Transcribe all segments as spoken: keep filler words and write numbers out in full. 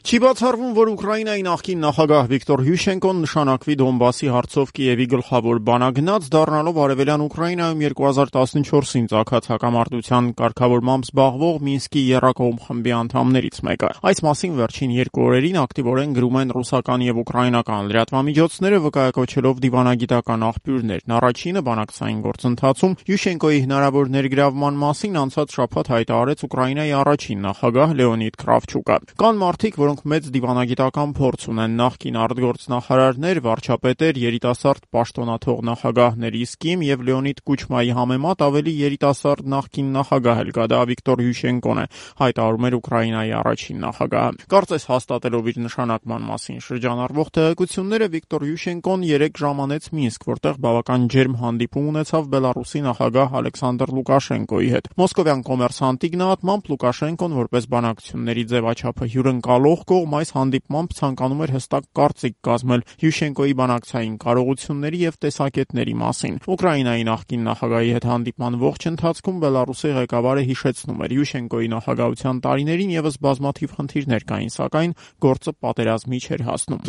Չի բացառվում, որ Ուկրաինայի նախկին նախագահ Վիկտոր Յուշենկոն նշանակվի Դոնբասի հարցով Կիևի գլխավոր բանագնաց, դառնալով Արևելյան Ուկրաինայում երկու հազար տասնչորսին ծագած հակամարտության կարգավորմամբ զբաղվող Մինսկի եռակողմ խմբի անդամներից մեկը։ Այս մասին վերջին երկու օրերին ակտիվորեն գրում են ռուսական եւ ուկրաինական լրատվամիջոցները, վկայակոչելով դիվանագիտական աղբյուրներն։ Առաջինը բանակցային գործընթացում Յուշենկոյի հնարավոր ներգրավման մասին անցած շաբաթ հայտարարեց Ուկրաինայի առաջին նախագահ Լեոնիդ Կրավչուկը։ Կան մարդիկ, որոնք մեծ դիվանագիտական փորձ ունեն, նախկին արտգործնախարարներ, վարչապետեր, երիտասարդ պաշտոնաթող նախագահներ, իսկ իմ եւ Լեոնիդ Կուչմայի համեմատ ավելի երիտասարդ նախկին նախագահ էլ կա, դա Վիկտոր Յուշենկոն է, հայտարարում էր Ուկրաինայի առաջին նախագահը։ Կարծես հաստատելով իր նշանակման մասին շրջանառվող տեղեկությունները, Վիկտոր Յուշենկոն երեք ժամ անեց Մինսկ, որտեղ բավական ջերմ հանդիպում ունեցավ Բելարուսի նախագահ Ալեքսանդր Լուկաշենկոյի հետ։ Մոսկովյան Կոմերսանտի գնահատմամբ Լուկաշենկոն որպես բանակցությունների ձևաչափը հյուրընկալող կողմ այս հանդիպմամբ ցանկանում էր հստակ կարծիք կազմել Յուշենկոյի բանակցային կարողությունների եւ տեսակետների մասին։ Ուկրաինայի նախկին նախագահի հետ հանդիպման ողջ ընթացքում Բելարուսի ղեկավարը հիշեցնում էր Յուշենկոյի նախագահության տարիներին եւս բազմաթիվ խնդիրներ կային, սակայն գործը պատերազմի չէր հասնում։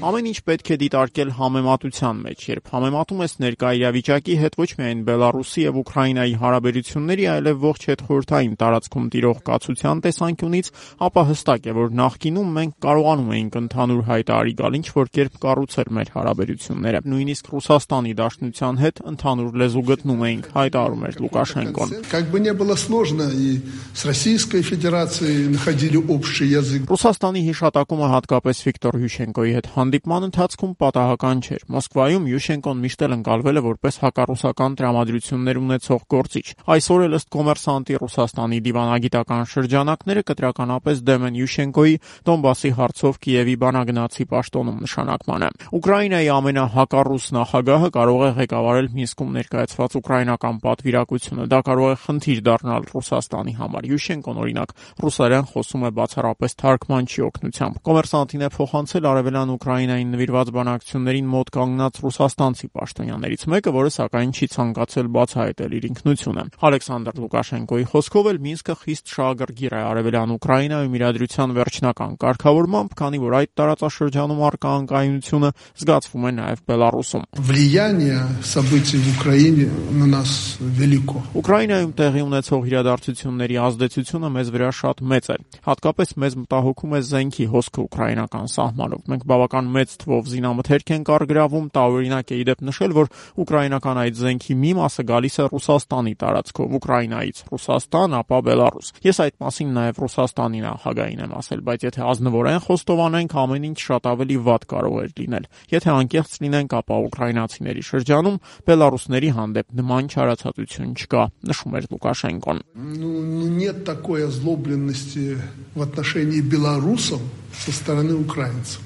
Ամեն ինչ պետք է դիտարկել համեմատության մեջ, երբ համեմատում ես ներկա իրավիճակի հետ ոչ միայն Բելարուսի եւ Ուկրաինայի հարաբերությունների, այլև ողջ հետխորհրդային տարածքում տիրող կացության տեսանկյունից, ապա հստակ է, որ նախկինում մենք կարողանում էինք ընդհանուր հայտարարի գալ, ինչ որ կերպ կառուցել մեր հարաբերությունները։ Նույնիսկ Ռուսաստանի Դաշնության հետ ընդհանուր լեզու գտնում էինք, հայտարարում էր Լուկաշենկոն։ Ռուսաստանի հիշատակումը հատկապես Վիկտոր Յուշենկոյի հետ հանդիպման ընթացքում պատահական չէր։ Մոսկվայում Յուշենկոն միշտ էլ ընկալվել է որպես հակառուսական տրամադրություններ ունեցող գործիչ։ Այսօր էլ ըստ Կոմերսանտի Ռուսաստանի դիվանագիտական շրջանակները կտրականապես դեմ են Յուշենկոյի Դոնբասի հարցով Կիևի բանագնացի պաշտոնում նշանակմանը։ Ուկրաինայի ամենահակառուս նախագահը կարող է ղեկավարել Մինսկում ներկայացված ուկրաինական պատվիրակությունը։ Դա կարող է խնդիր դառնալ Ռուսաստանի համար։ Յուշենկոն, օրինակ, ռուսերեն խոսում է բացառապես թարգմանչի օգնությամբ։ Կոմերսանտին է փոխանցել Արևելյան Ուկրաինային նվիրված բանակցություններին մոտ կանգնած ռուսաստանցի պաշտոնյաներից մեկը, որը սակայն չի ցանկացել բացահայտել իր ինքնությունը։ Ալեքսանդր Լուկաշենկոյի խոսքով էլ Մինսկը խիստ շահագրգիռ է Արևելյան Ուկրաինայում իրադրության վերջնական կարգավորմամբ, քանի որ այդ տարածաշրջանում առկա անկայունությունը զգացվում է նաև Բելարուսում։ Ուկրաինայում տեղի ունեցող իրադարձությունների ազդեցությունը մեզ վրա շատ մեծ է։ Հատկապես մեզ մտահոգում է զենքի հոսքը ուկրաինական սահմանով։ Մենք բավական մեծ թվով զինամթերք ենք առգրավում, տարօրինակ է իդեպ նշել, որ ուկրաինական այդ զենքի մի մասը գալիս է Ռուսաստանի տարածքով, Ուկրաինայից Ռուսաստան, ապա Բելարուս։ Ես այդ մասին նաև Ռուսաստանի նախագահին եմ ասել, բայց եթե ազնվորեն խոստովանենք, ամեն ինչ շատ ավելի վատ կարող էր լինել։ Եթե անկեղծ լինենք, ապա ուկրաինացիների շրջանում բելարուսների հանդեպ նման չարացածություն չկա, նշում էր Լուկաշենկոն։ Нет такой озлобленности в отношении белорусов со стороны украинцев.